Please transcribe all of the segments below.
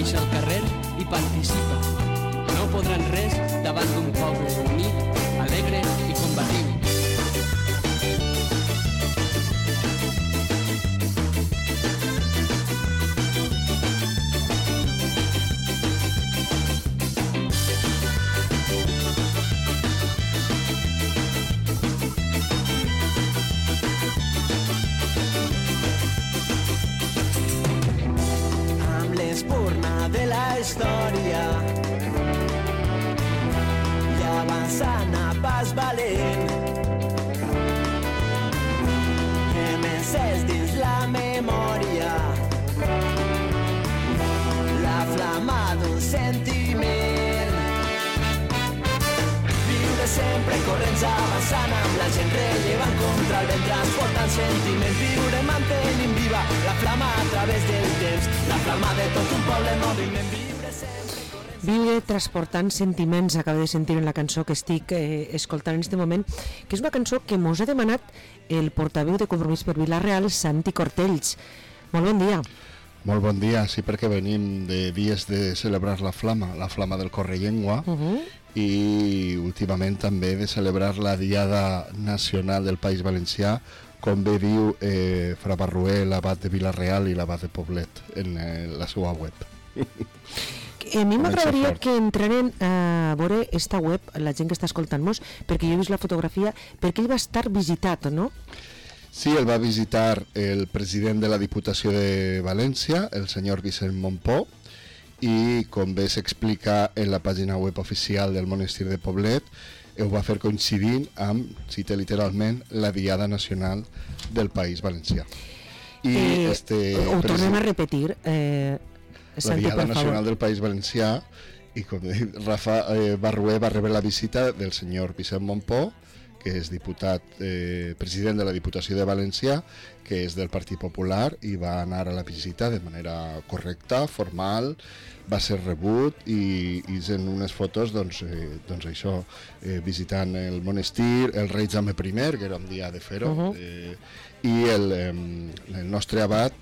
baixa al carrer i participa. No podran res davant d'un poble unit, alegre i combatiu. De la història i avançant a pas valent que m'encès dins la memòria la flama d'un sentiment. Viure sempre corrents avançant amb la gent rellevant contra el vent transportant sentiment. Viure mantenint viva la flama a través del temps, la flama de tot un poble en moviment. Viure transportant sentiments, acabo de sentir en la cançó que estic escoltant en aquest moment, que és una cançó que mos ha demanat el portaveu de Compromís per Vila-real, Santi Cortells. Molt bon dia. Molt bon dia, sí, perquè venim de dies de celebrar la flama del Correllengua, i últimament també de celebrar la Diada Nacional del País Valencià, com bé diu Fra Barruel, l'abat de Vila-real i l'abat de Poblet en la seva web. A mi m'agradaria que entraren a veure esta web, la gent que està escoltant-nos, perquè jo he vist la fotografia, perquè ell va estar visitat, no? Sí, el va visitar el president de la Diputació de València, el senyor Vicent Montpó, i com bé s'explica en la pàgina web oficial del monestir de Poblet, ho va fer coincidint amb, cita literalment, la Diada Nacional del País Valencià. Ho tornem a repetir, la Diada Nacional del País Valencià, i com dic, Rafa Barrué va rebre la visita del senyor Vicent Montpó, que és diputat, president de la Diputació de València, que és del Partit Popular, i va anar a la visita de manera correcta, formal, va ser rebut i en unes fotos doncs això, visitant el monestir, el rei Jaume I, que era un dia de fer-ho, i el nostre abat,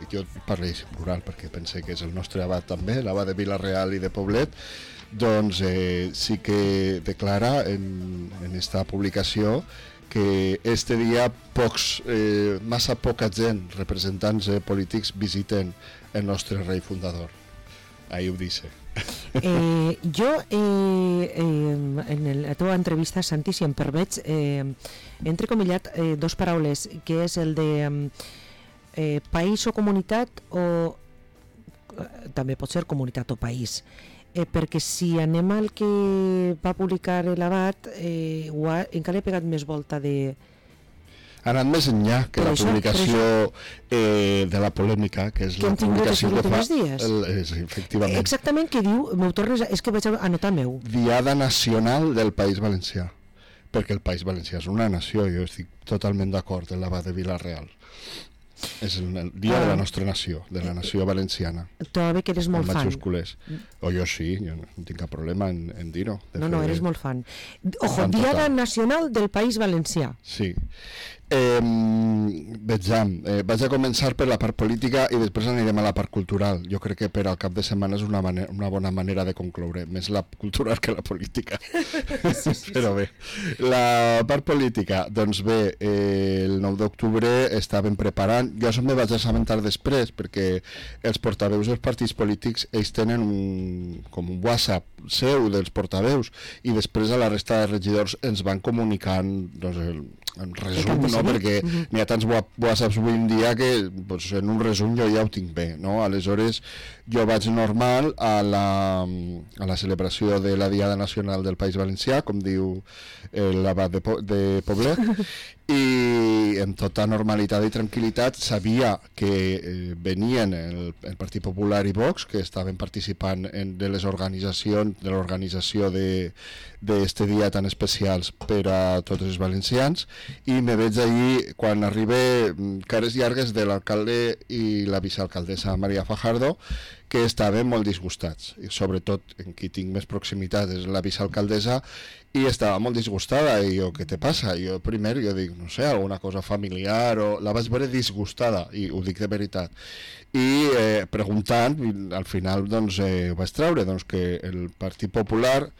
jo parlo en plural perquè pensé que és el nostre abat també, l'abat de Vila-real i de Poblet, doncs sí que declara en esta publicació que este dia massa poca gent, representants polítics, visiten el nostre rei fundador. Ahí ho dice. Jo, en la teva entrevista, Santi, si em permets, he entrecomillat dos paraules, que és el de país o comunitat, o també pot ser comunitat o país. Perquè si anem al que va publicar l'abat, encara he pegat més volta de... Ha anat més enllà que la publicació de la polèmica, que és la publicació que fa... Efectivament. Exactament, què diu? És que vaig anotar meu. Diada Nacional del País Valencià, perquè el País Valencià és una nació, jo estic totalment d'acord amb l'abat de Vila-real. És el dia de la nostra nació, de la nació valenciana. Tu ara que eres molt fan. O jo sí, jo no tinc cap problema en dir-ho. No, eres molt fan. Ojo, Diada Nacional del País Valencià. Sí. Vaig a començar per la part política i després anirem a la part cultural. Jo crec que per al cap de setmana és una bona manera de concloure, més la cultural que la política. Però bé, la part política, doncs bé, el 9 d'octubre estaven preparant, jo me vaig assabentar després perquè els portaveus dels partits polítics ells tenen com un WhatsApp seu dels portaveus i després a la resta de regidors ens van comunicant en resum, no? Perquè n'hi ha tants whatsapps avui en dia que en un resum jo ja ho tinc bé, no? Aleshores jo vaig normal a la celebració de la Diada Nacional del País Valencià, com diu l'abat de Poblet, i amb tota normalitat i tranquil·litat sabia que venien el Partit Popular i Vox, que estaven participant de l'organització d'este dia tan especials per a tots els valencians, i me veig allí quan arriba cares llargues de l'alcalde i la vicealcaldessa Maria Fajardo, que estaven molt disgustats, i sobretot en qui tinc més proximitat és la vicealcaldessa, i estava molt disgustada, i jo, què te passa? Jo primer, jo dic, no sé, alguna cosa familiar, o la vaig veure disgustada, i ho dic de veritat, i preguntant, al final doncs vaig treure doncs, que el Partit Popular,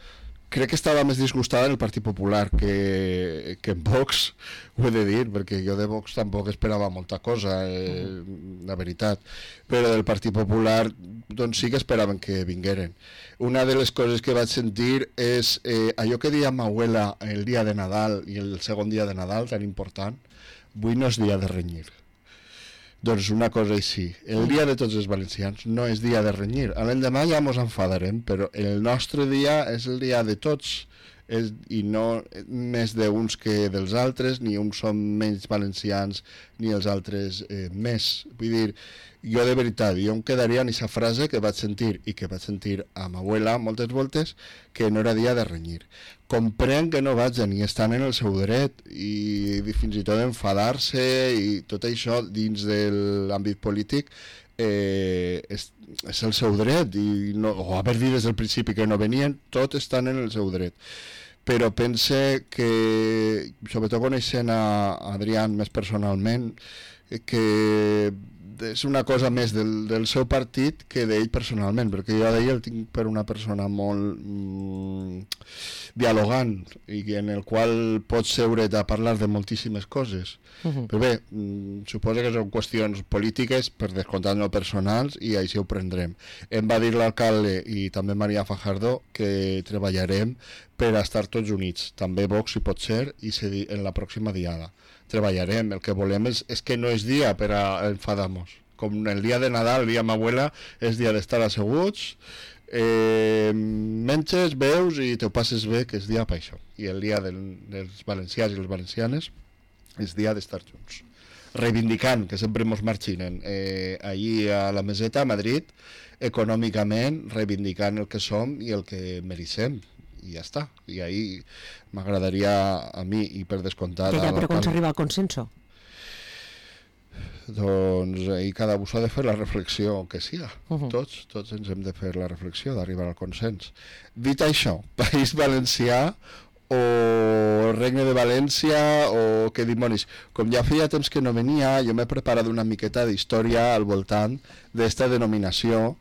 crec que estava més disgustada en el Partit Popular que en Vox, ho he de dir, perquè jo de Vox tampoc esperava molta cosa, la veritat, però del Partit Popular doncs sí que esperaven que vingueren. Una de les coses que vaig sentir és allò que deia ma abuela el dia de Nadal i el segon dia de Nadal, tan important, avui no és dia de renyir. Doncs una cosa així, el dia de tots els valencians no és dia de renyir, a l'endemà ja mos enfadarem, però el nostre dia és el dia de tots, i no més d'uns que dels altres, ni uns són menys valencians ni els altres més. Vull dir, jo de veritat, jo em quedaria en aquesta frase que vaig sentir, i que vaig sentir a ma abuela moltes voltes, que no era dia de renyir. Comprenc que no vagin i estan en el seu dret, i fins i tot enfadar-se i tot això dins de l'àmbit polític és el seu dret, i no, o haver dit des del principi que no venien, tot estan en el seu dret. Però pense que, sobretot coneixent a Adrián més personalment, que és una cosa més del seu partit que d'ell personalment, perquè jo d'ell el tinc per una persona molt dialogant, i en el qual pots seure't a parlar de moltíssimes coses. Però bé, suposo que són qüestions polítiques, per descomptat no personals, i així ho prendrem. Em va dir l'alcalde i també Maria Fajardo que treballarem per a estar tots units, també Vox si pot ser, i en la pròxima diada treballarem. El que volem és que no és dia per a enfadar-nos, com el dia de Nadal, el dia de ma abuela, és dia d'estar asseguts, menges, beus i te ho passes bé, que és dia per això, i el dia dels valencians i les valencianes és dia d'estar junts, reivindicant, que sempre mos marxinen allí a la Meseta, a Madrid, econòmicament, reivindicant el que som i el que mereixem, i ja està. I ahí m'agradaria a mi, i per descomptat... Que ja, però com s'arriba al consenso? Doncs ahí cada un ha de fer la reflexió que siga. Tots ens hem de fer la reflexió d'arribar al consens. Dit això, País Valencià o Regne de València o què dimonis, com ja feia temps que no venia, jo m'he preparat una miqueta d'història al voltant d'esta denominació,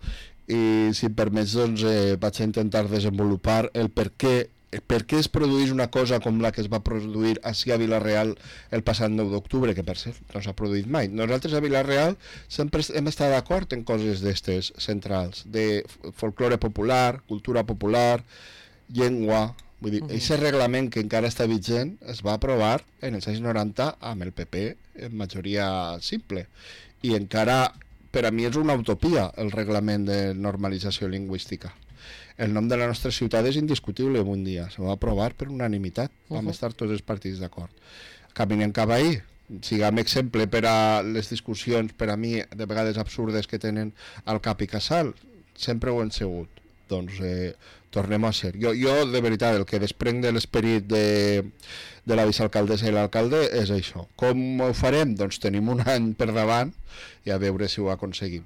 i si em permets doncs vaig a intentar desenvolupar el per què es produeix una cosa com la que es va produir ací a Vila-real el passat 9 d'octubre, que per cert no s'ha produït mai. Nosaltres a Vila-real sempre hem estat d'acord en coses d'estes centrals, de folklore popular, cultura popular, llengua. Vull dir, aquest reglament que encara està vigent es va aprovar en els anys 90 amb el PP en majoria simple, i encara per a mi és una utopia el reglament de normalització lingüística. El nom de la nostra ciutat és indiscutible avui en dia, se va aprovar per unanimitat, vam estar tots els partits d'acord. Caminem cap ahí, siguem exemple per a les discussions, per a mi, de vegades absurdes que tenen al cap i casal, sempre ho hem sigut. Doncs tornem a ser. Jo de veritat, el que desprenc de l'esperit de la vicealcaldessa i l'alcalde és això. Com ho farem? Doncs tenim un any per davant i a veure si ho aconseguim.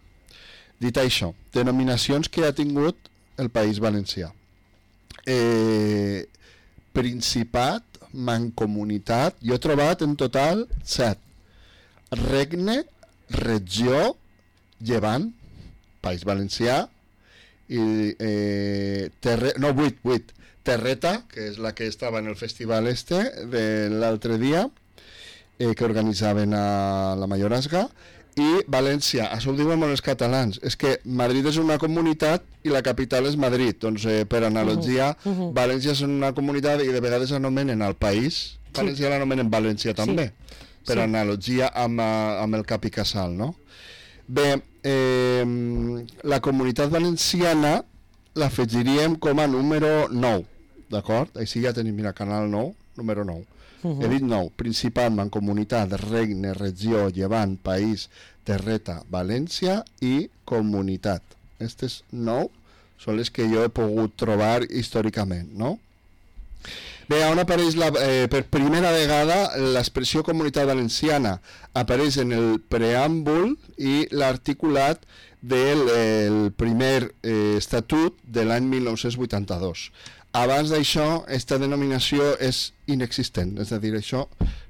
Dit això, denominacions que ha tingut el País Valencià. Principat, mancomunitat, jo he trobat en total 7. Regne, regió, Llevant, País Valencià, i 8. Terreta, que és la que estava en el festival de l'altre dia, que organitzaven a la Mayorazga, i València. Això ho diuen molt els catalans, és que Madrid és una comunitat i la capital és Madrid, doncs per analogia València és una comunitat i de vegades anomenen al país, València l'anomenen València també, per analogia amb el cap i casal, no? Bé, la comunitat valenciana l'afegiríem com a número 9, d'acord? Així ja tenim, mira, canal 9, número 9. He dit 9, Principat, Mancomunitat, Regne, Regió, Llevant, País, Terreta, València i Comunitat. Aquestes 9 són les que jo he pogut trobar històricament, no? Bé, on apareix per primera vegada l'expressió Comunitat Valenciana? Apareix en el preàmbul i l'articulat del primer estatut de l'any 1982. Abans d'això, aquesta denominació és inexistent, és a dir, això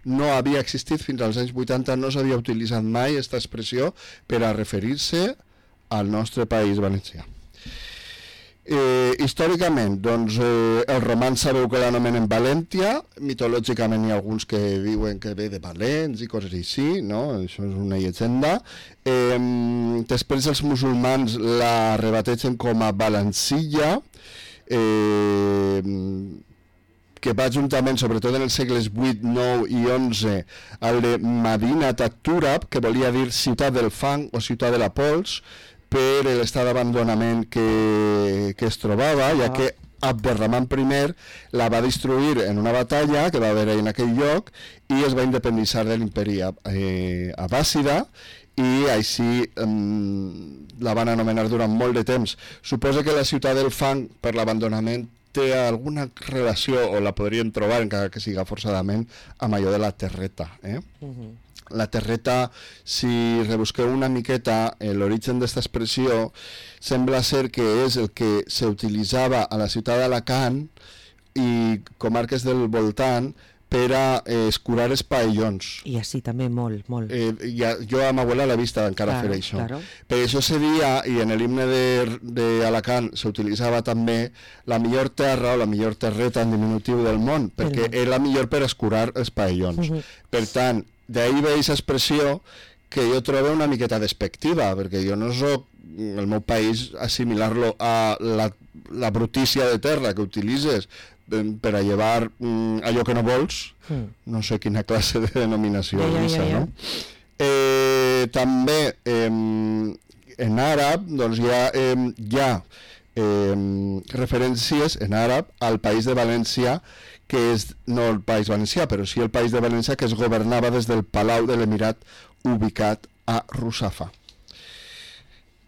no havia existit fins als anys 80, no s'havia utilitzat mai aquesta expressió per a referir-se al nostre país valencià. Històricament, doncs, els romans sabeu que l'anomenen València, mitològicament hi ha alguns que diuen que ve de Valents i coses així, no? Això és una llegenda. Després els musulmans la rebateixen com a Valencilla, que va juntament, sobretot en els segles 8, 9 i 11, al de Madinat at-Turab, que volia dir ciutat del fang o ciutat de la pols, per l'estat d'abandonament que es trobava, ja que Abderramán I la va destruir en una batalla que va haver en aquell lloc i es va independitzar de l'imperi abbàssida i així la van anomenar durant molt de temps. Suposa que la ciutat del fang, per l'abandonament, té alguna relació, o la podrien trobar, encara que siga forçadament, amb allò de la terreta. La terreta, si rebusqueu una miqueta l'origen d'aquesta expressió, sembla ser que és el que s'utilitzava a la ciutat d'Alacant i comarques del voltant per a escurar els paellons. I així també molt, molt. Jo a ma abuela l'he vista encara fer això. Claro. Per això se dia, i en l'himne d'Alacant s'utilitzava també la millor terra o la millor terreta en diminutiu del món, perquè és la millor per escurar els paellons. Per tant, d'ahir ve aquesta expressió que jo trobo una miqueta despectiva, perquè jo no soc, el meu país, assimilar-lo a la brutícia de terra que utilitzes per a llevar allò que no vols, no sé quina classe de denominació és aquesta, no? També en àrab doncs hi ha referències en àrab al País de València, que és no el País Valencià, però sí el País de València, que es governava des del Palau de l'Emirat ubicat a Russafa.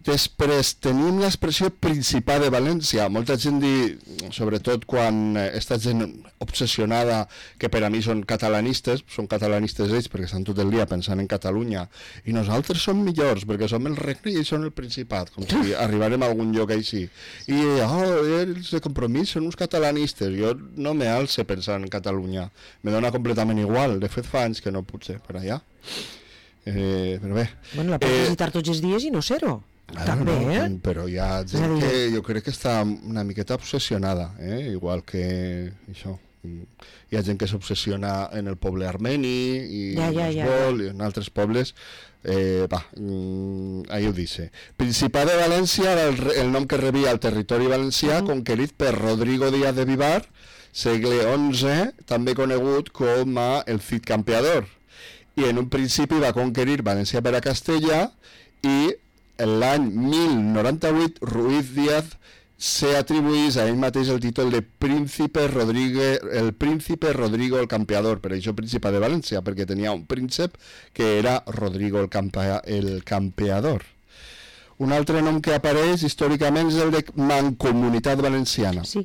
Després tenim l'expressió Principat de València. Molta gent diu, sobretot quan està gent obsessionada, que per a mi són catalanistes ells perquè estan tot el dia pensant en Catalunya, i nosaltres som millors perquè som el regne i ells són el Principat, com si arribarem a algun lloc així. I els de Compromís són uns catalanistes. Jo no me alce pensant en Catalunya, me dona completament igual. De fet fa anys que no puc ser per allà. Però bé. Bueno, la pots visitar tots els dies i no ser-ho. També, però hi ha gent que jo crec que està una miqueta obsessionada, igual que això. Hi ha gent que s'obsessiona en el poble armeni i en altres pobles. Ahí ho dice. Principat de València era el nom que rebia el territori valencià conquerit per Rodrigo Díaz de Vivar, segle XI, també conegut com a el Cid Campeador, i en un principi va conquerir València per a Castella i l'any 1098 Ruiz Díaz s'atribuís a ell mateix el títol de Príncipe Rodrigo el Campeador, per això Príncipe de València, perquè tenia un príncep que era Rodrigo el Campeador. Un altre nom que apareix històricament és el de Mancomunitat Valenciana. Sí.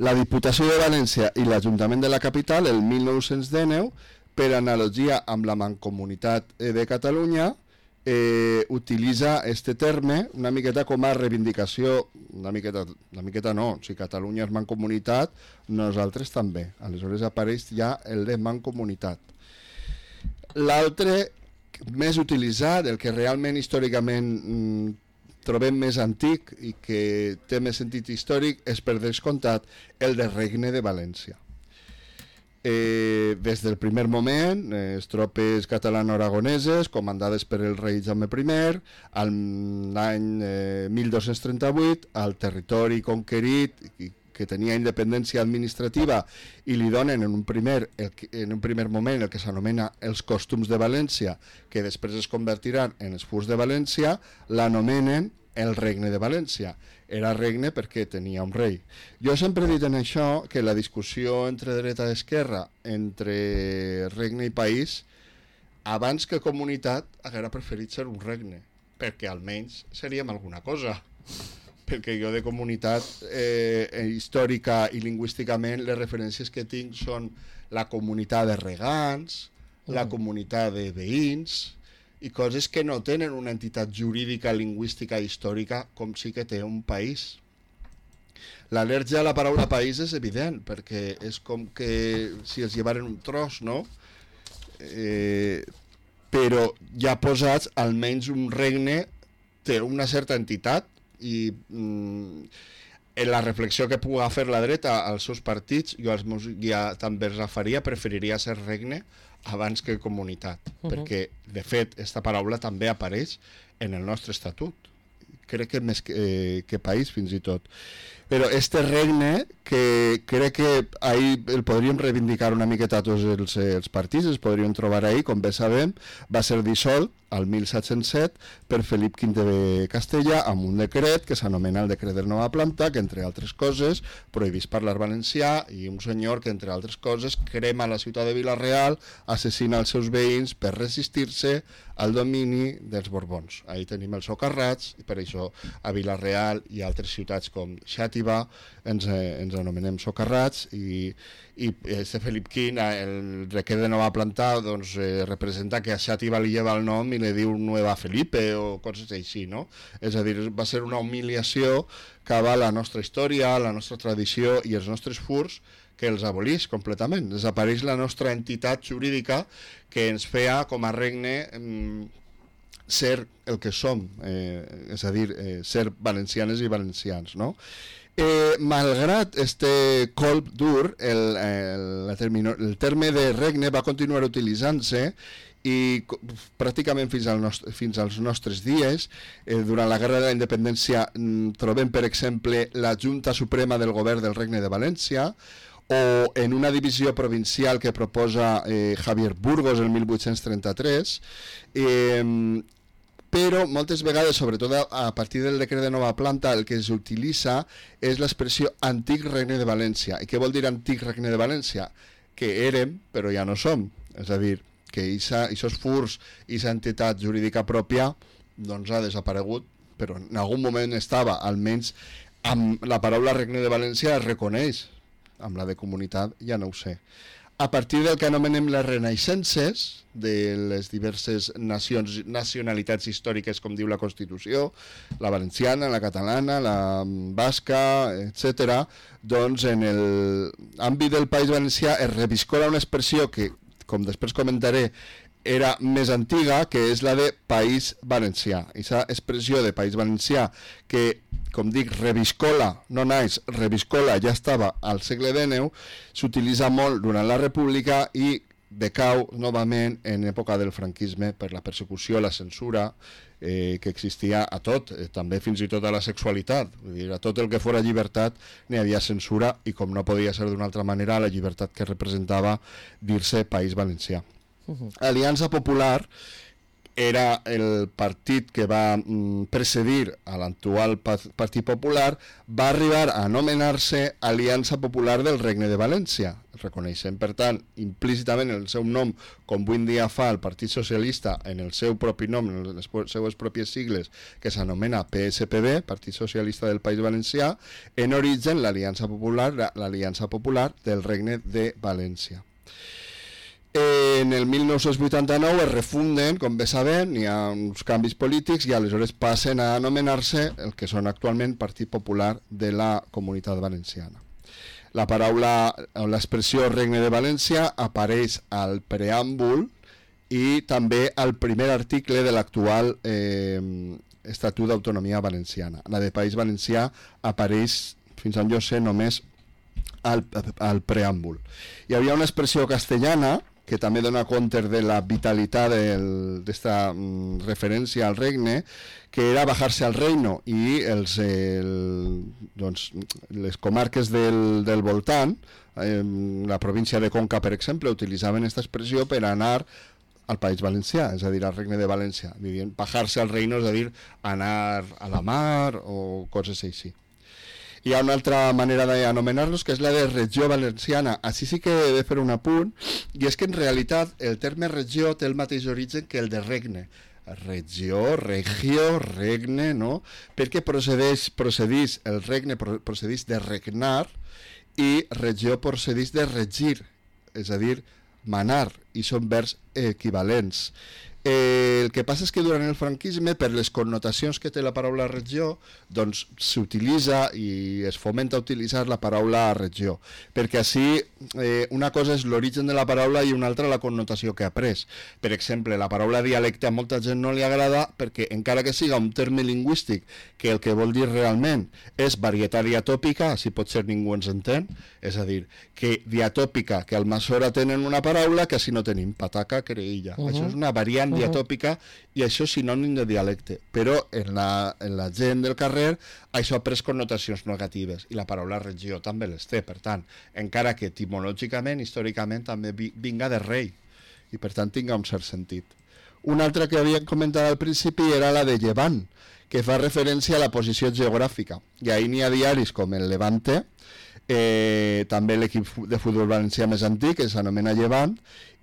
La Diputació de València i l'Ajuntament de la capital, el 1919, per analogia amb la Mancomunitat de Catalunya, utilitza este terme una miqueta com a reivindicació, una miqueta no, si Catalunya és mancomunitat, nosaltres també. Aleshores apareix ja el de mancomunitat. L'altre més utilitzat, el que realment històricament trobem més antic i que té més sentit històric, és per descomptat el de Regne de València. Des del primer moment, les tropes catalano-aragoneses, comandades per el rei Jaume I, l'any 1238, al territori conquerit, que tenia independència administrativa, i li donen en un primer moment el que s'anomena els costums de València, que després es convertiran en els furs de València, l'anomenen el Regne de València. Era regne perquè tenia un rei. Jo sempre he dit en això que la discussió entre dreta i esquerra, entre regne i país, abans que comunitat, haguera preferit ser un regne, perquè almenys seríem alguna cosa. perquè jo de comunitat històrica i lingüísticament les referències que tinc són la comunitat de regants, la comunitat de veïns i coses que no tenen una entitat jurídica, lingüística i històrica com sí que té un país. L'al·lèrgia a la paraula país és evident, perquè és com que si els llevaren un tros, no? Però ja posats, almenys un regne té una certa entitat i en la reflexió que puga fer la dreta als seus partits, jo ja també els faria, preferiria ser regne abans que comunitat, perquè de fet aquesta paraula també apareix en el nostre estatut, crec que més que país fins i tot. Però este regne, que crec que ahir el podríem reivindicar una miqueta tots els partits, els podríem trobar ahir, com bé sabem, va ser dissolt al 1707 per Felip V de Castella amb un decret que s'anomena el decret de nova planta, que entre altres coses prohibís parlar valencià, i un senyor que entre altres coses crema la ciutat de Vila-real, assassina els seus veïns per resistir-se al domini dels Borbons. Ahí tenim els socarrats, i per això a Vila-real i altres ciutats com Xàtiva ens anomenem socarrats, i este Felip V, el decret de nova planta, doncs, representa que a Xàtiva li lleva el nom i li diu Nueva Felipe o coses així, no? És a dir, va ser una humiliació cap a la nostra història, la nostra tradició i els nostres furs, que els abolís completament. Desapareix la nostra entitat jurídica que ens feia com a regne ser el que som, és a dir, ser valencianes i valencians, no? Malgrat este colp dur, el terme de regne va continuar utilitzant-se i pràcticament fins als nostres dies. Durant la Guerra de la Independència trobem, per exemple, la Junta Suprema del Govern del Regne de València, o en una divisió provincial que proposa Javier Burgos el 1833, però moltes vegades, sobretot a partir del decret de nova planta, el que s'utilitza és l'expressió Antic Regne de València. I què vol dir Antic Regne de València? Que érem, però ja no som. És a dir, que aquests furs i aquesta entitat jurídica pròpia doncs ha desaparegut, però en algun moment estava, almenys amb la paraula Regne de València es reconeix, amb la de comunitat ja no ho sé. A partir del que anomenem les renaixences de les diverses nacionalitats històriques, com diu la Constitució, la valenciana, la catalana, la basca, etc., doncs en l'àmbit del País Valencià es reviscola una expressió que, com després comentaré, era més antiga, que és la de País Valencià. Aquesta expressió de País Valencià que, com dic, reviscola, no naix, reviscola, ja estava al segle XIX, s'utilitza molt durant la República i decau novament en època del franquisme per la persecució, la censura que existia a tot, també fins i tot a la sexualitat. Vull dir, a tot el que fora llibertat n'hi havia censura i, com no podia ser d'una altra manera, la llibertat que representava dir-se País Valencià. Aliança Popular era el partit que va precedir a l'actual Partit Popular, va arribar a anomenar-se Aliança Popular del Regne de València. Reconeixent, per tant, implícitament el seu nom, com avui en dia fa el Partit Socialista en el seu propi nom, en les seues pròpies sigles, que s'anomena PSPB, Partit Socialista del País Valencià, en origen l'Aliança Popular del Regne de València. En el 1989 es refunden, com bé sabem, hi ha uns canvis polítics i aleshores passen a anomenar-se el que són actualment Partit Popular de la Comunitat Valenciana. La paraula o l'expressió Regne de València apareix al preàmbul i també al primer article de l'actual Estatut d'Autonomia Valenciana. La de País Valencià apareix, fins on jo sé, només al preàmbul. Hi havia una expressió castellana que també dona compte de la vitalitat d'esta referència al regne, que era bajar-se al reino, i les comarques del voltant, la província de Conca, per exemple, utilitzaven aquesta expressió per anar al País Valencià, és a dir, al Regne de València. Bajar-se al reino, és a dir, anar a la mar o coses així. Hi ha una altra manera d'anomenar-los, que és la de regió valenciana. Així sí que he de fer un apunt, i és que en realitat el terme regió té el mateix origen que el de regne. regió, regio, regne, no? Perquè el regne procedeix de regnar i regió procedeix de regir, és a dir, manar, i són verbs equivalents. El que passa és que durant el franquisme, per les connotacions que té la paraula regió, doncs s'utilitza i es fomenta utilitzar la paraula regió, perquè així una cosa és l'origen de la paraula i una altra la connotació que ha pres. Per exemple, la paraula dialecte a molta gent no li agrada perquè, encara que siga un terme lingüístic que el que vol dir realment és varietat diatòpica, així potser ningú ens entén, és a dir, que diatòpica, que al Almassora tenen una paraula que així no tenim, pataca, creïlla. Això és una variant diatòpica i això és sinònim de dialecte, però en la gent del carrer això ha pres connotacions negatives i la paraula regió també les té, per tant, encara que etimològicament, històricament també vinga de rei i per tant tinga un cert sentit. Una altra que havíem comentat al principi era la de llevant, que fa referència a la posició geogràfica, i ahir n'hi ha diaris com el Levante, també l'equip de futbol valencià més antic, que s'anomena Llevant,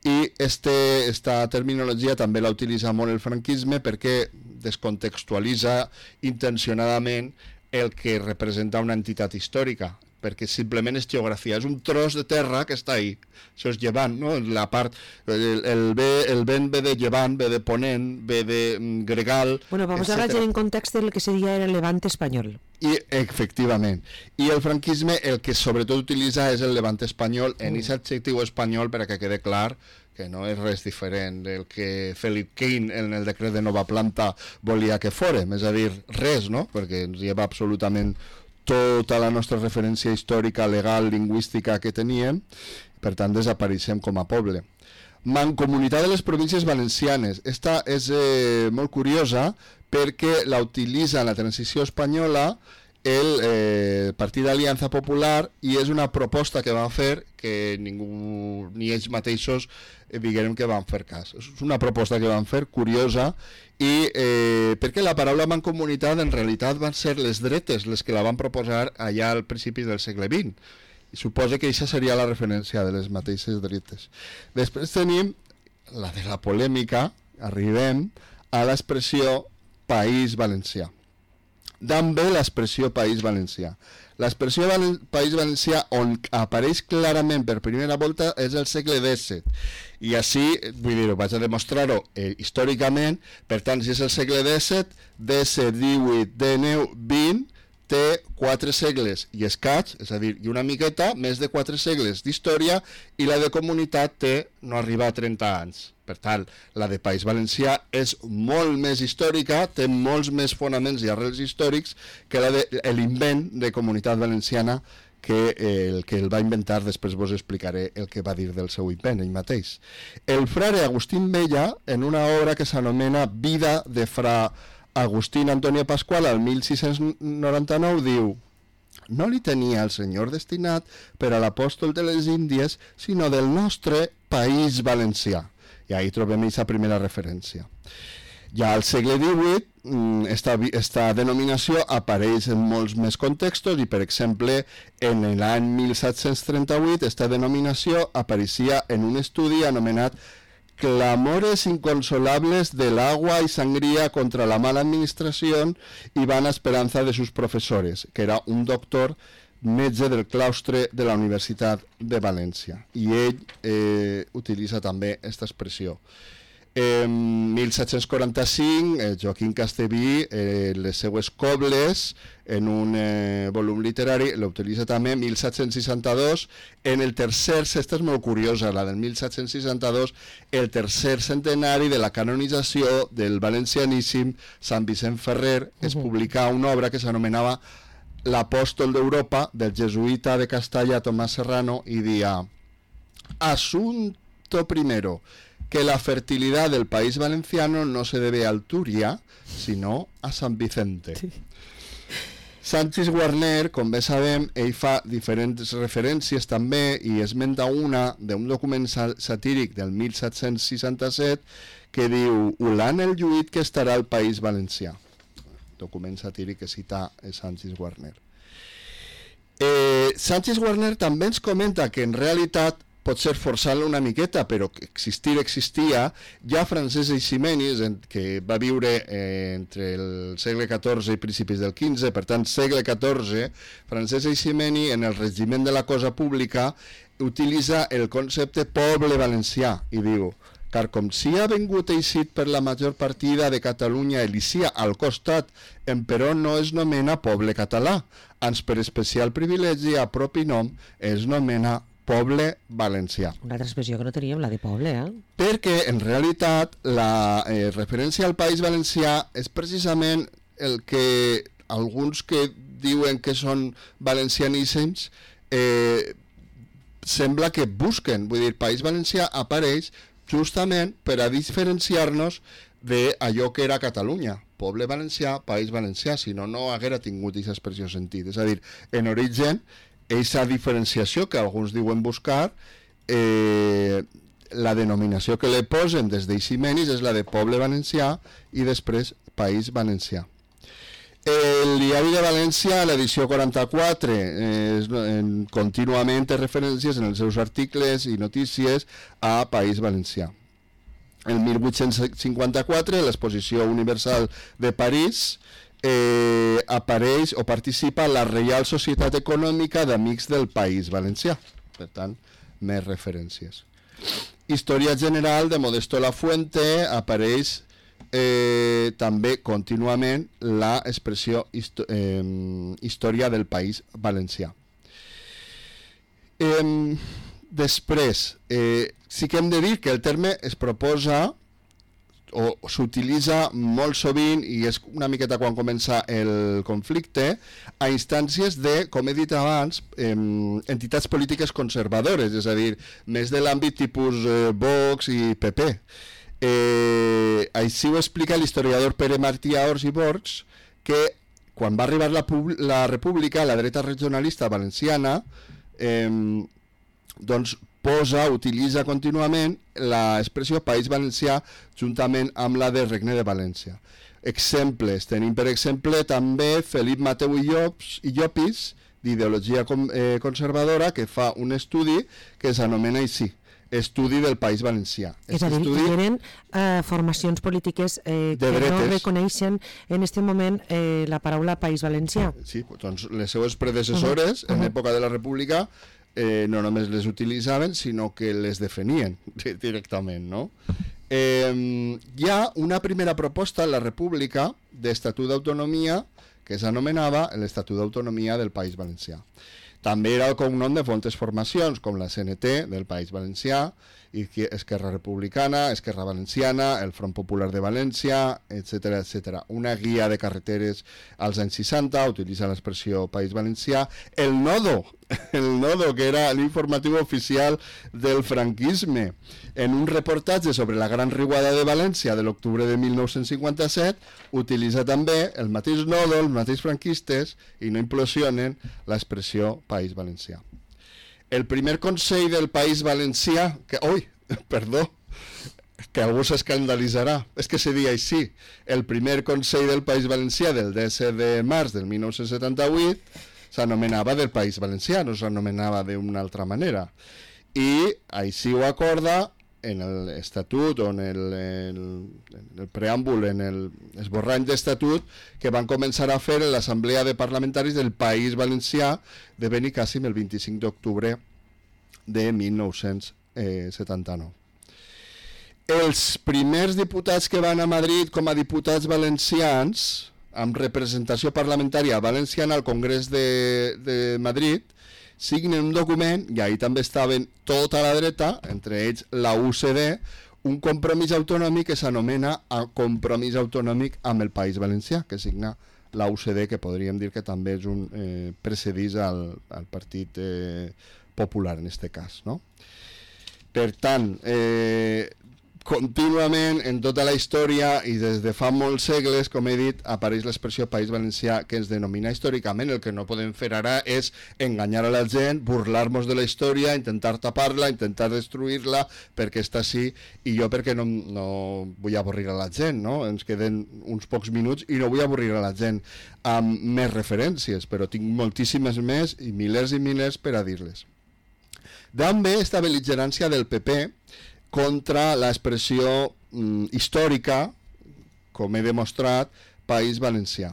i esta terminologia també la utilitza molt el franquisme perquè descontextualitza intencionadament el que representa una entitat històrica, perquè simplement és geografia, és un tros de terra que està ahí, això és llevant, no? La part, el vent ve de llevant, ve de ponent, ve de gregal, Bueno, vamos a hablar en contexto de lo que sería el levante español. I, efectivament, i el franquisme el que sobretot utilitza és el levant espanyol en aquest adjectiu espanyol perquè quede clar que no és res diferent del que Felip Keane en el decret de nova planta volia que fórem, és a dir, res, no? Perquè ens lleva absolutament tota la nostra referència històrica, legal, lingüística que teníem, per tant desapareixem com a poble. Mancomunitat de les províncies valencianes, esta és molt curiosa perquè la utilitza en la transició espanyola el Partit d'Aliança Popular i és una proposta que van fer que ningú, ni ells mateixos diguem que van fer cas. És una proposta que van fer curiosa i perquè la paraula mancomunitat en realitat van ser les dretes les que la van proposar allà al principi del segle XX. I suposa que això seria la referència de les mateixes dretes. Després tenim la de la polèmica, arribem a l'expressió País Valencià. D'on ve l'expressió País Valencià? L'expressió País Valencià on apareix clarament per primera volta és el segle XVII i així, vull dir, vaig a demostrar-ho històricament, per tant, si és el segle XVII, XVII, XIX, XX, té 4 segles i escaig, és a dir, i una miqueta, més de 4 segles d'història i la de comunitat té no arriba a 30 anys. Per tant, la de País Valencià és molt més històrica, té molts més fonaments i arrels històrics que l'invent de Comunitat Valenciana que el que el va inventar, després vos explicaré el que va dir del seu invent ell mateix. El frare Agustín Vella, en una obra que s'anomena Vida de fra Agustín Antonio Pascual, al 1699, diu: no li tenia el senyor destinat per a l'apòstol de les Índies, sinó del nostre País Valencià. I ahí trobem aquesta primera referència. Ja al segle XVIII, esta denominació apareix en molts més contextos i, per exemple, en l'any 1738, esta denominació apareixia en un estudi anomenat Clamores inconsolables del agua y sangría contra la mala administración y vana esperanza de sus profesores, que era un doctor metge del claustre de la Universitat de València. I ell utilitza també aquesta expressió. En 1745, Joaquim Castellví, les seues cobles, en un volum literari, l'utilitza també. 1762, en el tercer, aquesta és molt curiosa, la del 1762, el tercer centenari de la canonització del valencianíssim Sant Vicent Ferrer, es publicà una obra que s'anomenava L'Apòstol d'Europa, del jesuïta de Castalla Tomás Serrano, i dia: Asunto primero, que la fertilidad del país valenciano no se debe a Alturia, sino a San Vicente. Sí. Sanchis Guarner, com bé sabem, ell fa diferents referències també i esmenta una d'un document satíric del 1767 que diu: Ulant el lluït que estarà al País Valencià. Document satíric que cita Sanchis Guarner. Sanchis Guarner també ens comenta que en realitat potser forçant-lo una miqueta, però que existia, ja Francesc Eiximenis, que va viure entre el segle XIV i principis del XV, per tant, segle XIV, Francesc Eiximenis, en el regiment de la cosa pública, utilitza el concepte poble valencià, i diu, car com si ha vengut eixit per la major partida de Catalunya Elicia al costat, emperò no es nomena poble català, ans per especial privilegi a propi nom es nomena poble valencià. Una altra expressió que no teníem, la de poble, Perquè, en realitat, la referència al País Valencià és precisament el que alguns que diuen que són valencianíssims sembla que busquen. Vull dir, País Valencià apareix justament per a diferenciar-nos d'allò que era Catalunya. Poble valencià, País Valencià, si no, no haguera tingut aquesta expressió sentit. És a dir, en origen, aquesta diferenciació que alguns diuen buscar, la denominació que li posen des d'Eiximenis és la de poble valencià i després País Valencià. El Diari de València, l'edició 44, contínuament té referències en els seus articles i notícies a País Valencià. El 1854, l'Exposició Universal de París, apareix o participa a la Reial Societat Econòmica d'Amics del País Valencià. Per tant, més referències. Història General de Modesto Lafuente apareix també contínuament l'expressió història del País Valencià. Després, sí que hem de dir que el terme es proposa o s'utilitza molt sovint, i és una miqueta quan comença el conflicte, a instàncies de, com he dit abans, entitats polítiques conservadores, és a dir, més de l'àmbit tipus Vox i PP. Així ho explica l'historiador Pere Martí Ors i Borgs, que quan va arribar la República, la dreta regionalista valenciana doncs utilitza contínuament l'expressió País Valencià juntament amb la de Regne de València. Exemples, tenim per exemple també Felip Mateu i Llopis, d'ideologia conservadora, que fa un estudi que s'anomena així, Estudi del País Valencià. És a dir, que eren formacions polítiques que no reconeixen en aquest moment la paraula País Valencià. Sí, doncs les seues predecessores en l'època de la República no només les utilitzaven, sinó que les definien directament, no? Hi ha una primera proposta en la República d'Estatut d'Autonomia que s'anomenava l'Estatut d'Autonomia del País Valencià. També era el cognom de fontes formacions, com la CNT del País Valencià, i Esquerra Republicana, Esquerra Valenciana, el Front Popular de València, etc. etc. Una guia de carreteres als anys 60 utilitza l'expressió País Valencià. El Nodo, que era l'informatiu oficial del franquisme, en un reportatge sobre la Gran Riuada de València de l'octubre de 1957, utilitza també el mateix Nodo, els mateixos franquistes, i no implosionen l'expressió País Valencià. El primer Consell del País Valencià, que algú s'escandalitzarà, és que se diu així, el primer Consell del País Valencià del 10 de març del 1978 s'anomenava del País Valencià, no s'anomenava d'una altra manera. I així ho acorda en l'estatut o en el preàmbul, en l'esborrany d'estatut que van començar a fer en l'Assemblea de Parlamentaris del País Valencià de Benicàssim el 25 d'octubre de 1979. Els primers diputats que van a Madrid com a diputats valencians, amb representació parlamentària valenciana al Congrés de Madrid, signen un document, i ahí també estaven tota la dreta, entre ells la UCD, un compromís autonòmic que s'anomena Compromís Autonòmic amb el País Valencià, que signa la UCD, que podríem dir que també és un precedís al Partit Popular en aquest cas, no? Per tant, contínuament en tota la història i des de fa molts segles, com he dit, apareix l'expressió País Valencià, que ens denomina històricament. El que no podem fer ara és enganyar a la gent, burlar-nos de la història, intentar tapar-la, intentar destruir-la perquè està així, i jo perquè no vull avorrir a la gent, no? Ens queden uns pocs minuts i no vull avorrir a la gent amb més referències, però tinc moltíssimes més i milers per a dir-les. D'on ve esta bel·ligerància del PP contra l'expressió històrica, com he demostrat, País Valencià?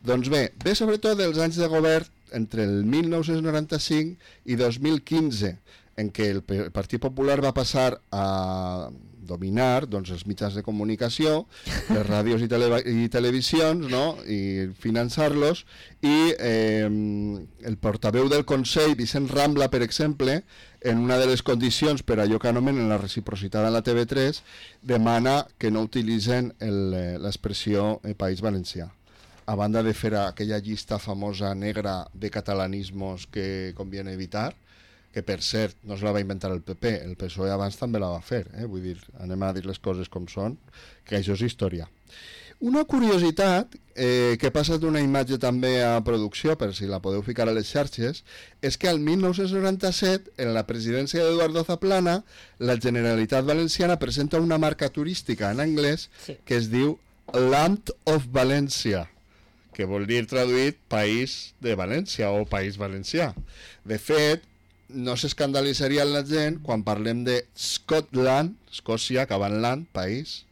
Doncs bé, ve sobretot dels anys de govern entre el 1995 i 2015, en què el Partit Popular va passar a dominar els mitjans de comunicació, les ràdios i televisions, no? I finançar-los, i el portaveu del Consell, Vicent Rambla, per exemple, en una de les condicions per allò que anomenen la reciprocitat a la TV3, demana que no utilitzen l'expressió País Valencià, a banda de fer aquella llista famosa negra de catalanismos que conviene evitar, que per cert no se la va inventar el PP, el PSOE abans també la va fer, vull dir, anem a dir les coses com són, que això és història. Una curiositat, que ha passat una imatge també a producció, per si la podeu ficar a les xarxes, és que al 1997, en la presidència d'Eduardo Zaplana, la Generalitat Valenciana presenta una marca turística en anglès que es diu Land of Valencia, que vol dir traduït País de València o País Valencià. De fet, no s'escandalitzaria la gent quan parlem de Scotland, Escòcia, acabant land, país,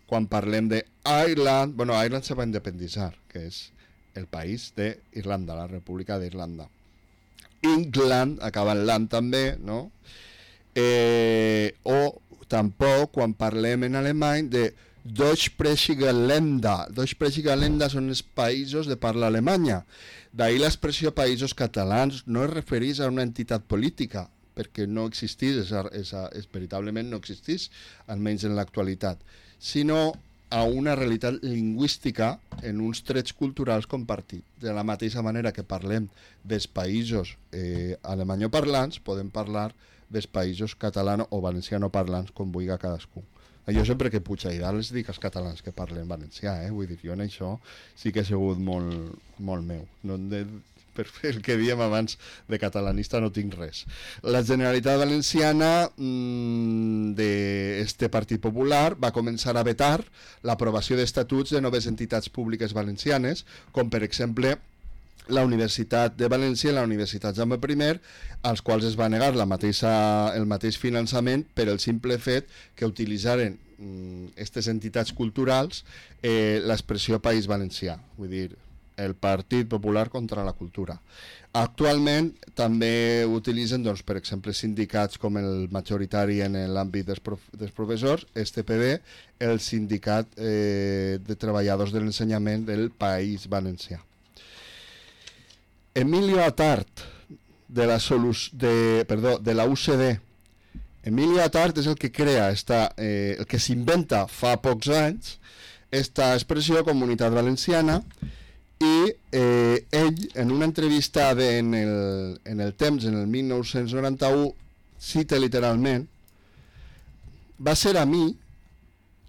quan parlem de Ireland, bueno, Ireland se va independitzar, que és el país d'Irlanda, la República d'Irlanda. England, acabant land també, no? O tampoc quan parlem en alemany de Deutschsprachige Länder. Deutschsprachige Länder són els països de parla alemanya. D'ahir l'expressió països catalans no es refereix a una entitat política, perquè no existís, veritablement no existís, almenys en l'actualitat, sinó a una realitat lingüística en uns trets culturals compartits. De la mateixa manera que parlem dels països alemanyoparlants, podem parlar dels països catalano o valencianoparlants, com vulgui cadascú. Jo sempre que puig a Idal els dic als catalans que parlen valencià, vull dir, jo en això sí que he sigut molt meu. No, per fer el que dèiem abans de catalanista no tinc res. La Generalitat Valenciana d'este Partit Popular va començar a vetar l'aprovació d'estatuts de noves entitats públiques valencianes, com per exemple la Universitat de València i la Universitat Jaume I, als quals es va negar el mateix finançament per el simple fet que utilitzaren aquestes entitats culturals l'expressió País Valencià, vull dir, el Partit Popular contra la cultura. Actualment també utilitzen, doncs, per exemple, sindicats com el majoritari en l'àmbit dels professors, STPB, el sindicat de treballadors de l'ensenyament del País Valencià. Emilio Attard, de la UCD. Emilio Attard és el que crea, el que s'inventa fa pocs anys esta expressió Comunitat Valenciana, i ell, en una entrevista en el Temps, en el 1991, cita literalment: va ser a mi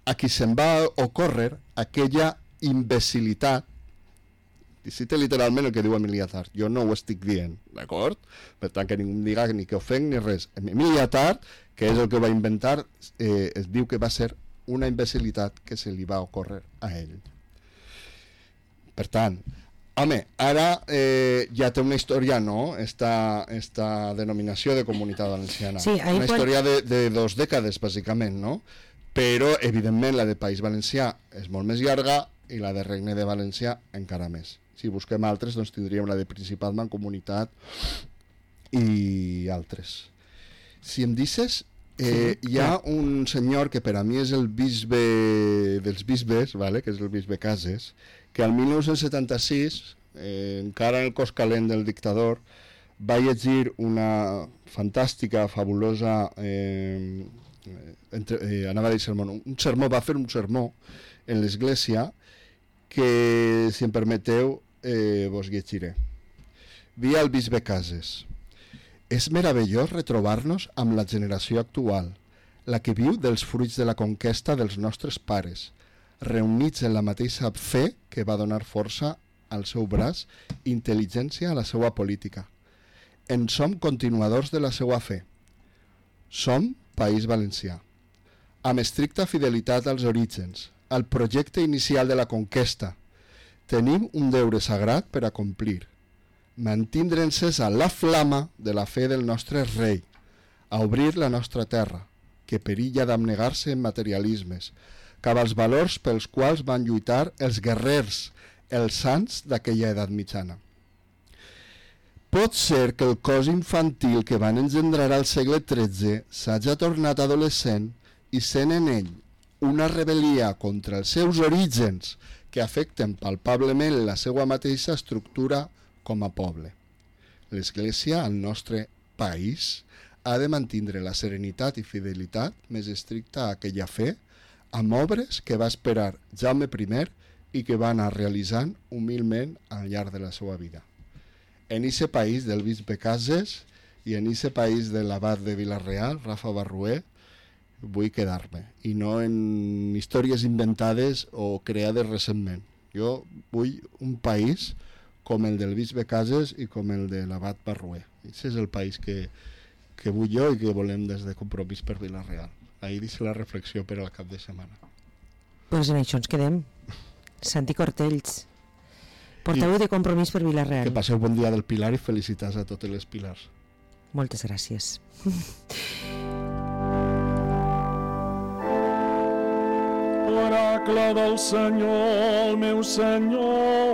a qui se'm va ocórrer aquella imbecilitat. I cita literalment el que diu Emilio Attard. Jo no ho estic dient, d'acord? Per tant, que ningú em diga ni que ofenc ni res. Emilio Attard, que és el que va inventar, es diu que va ser una imbecilitat que se li va ocórrer a ell. Per tant, home, ara ja té una història, no?, esta denominació de Comunitat Valenciana. Sí, una història de 2 dècades, bàsicament, no? Però, evidentment, la de País Valencià és molt més llarga i la de Regne de València encara més. Si busquem altres, doncs tindríem la de Principat, Mancomunitat i altres. Si em deixes, hi ha un senyor que per a mi és el bisbe dels bisbes, vale? Que és el bisbe Cases, que al 1976, encara en el cos calent del dictador, va llegir una fantàstica, fabulosa, anava a dir sermó, va fer un sermó en l'església que, si em permeteu, vos llegiré. Dia al bisbe Cases: és meravellós retrobar-nos amb la generació actual, la que viu dels fruits de la conquesta dels nostres pares, reunits en la mateixa fe que va donar força al seu braç i intel·ligència a la seva política. En som continuadors de la seva fe. Som País Valencià, amb estricta fidelitat als orígens, al projecte inicial de la conquesta. Tenim un deure sagrat per a complir: mantindre encesa la flama de la fe del nostre rei, a obrir la nostra terra, que perilla d'abnegar-se en materialismes, cap als valors pels quals van lluitar els guerrers, els sants d'aquella edat mitjana. Pot ser que el cos infantil que van engendrar al segle XIII s'hagi tornat adolescent i sent en ell una rebel·lia contra els seus orígens que afecten palpablement la seva mateixa estructura com a poble. L'Església, al nostre país, ha de mantindre la serenitat i fidelitat més estricta a aquella fe, amb obres que va esperar Jaume I i que va anar realitzant humilment al llarg de la seva vida. En ese país del bisbe Cases i en ese país de l'abat de Vila-real, Rafa Barrué, vull quedar-me, i no en històries inventades o creades recentment. Jo vull un país com el del bisbe Cases i com el de l'abat Barrué. Aquest és el país que vull jo i que volem des de Compromís per Vila-real. Ahir deixo la reflexió per al cap de setmana. Doncs en això ens quedem. Santi Cortells, portaveu de Compromís per Vila-real. Que passeu bon dia del Pilar i felicitats a totes les Pilars. Moltes gràcies. Oracle del Senyor, el meu Senyor.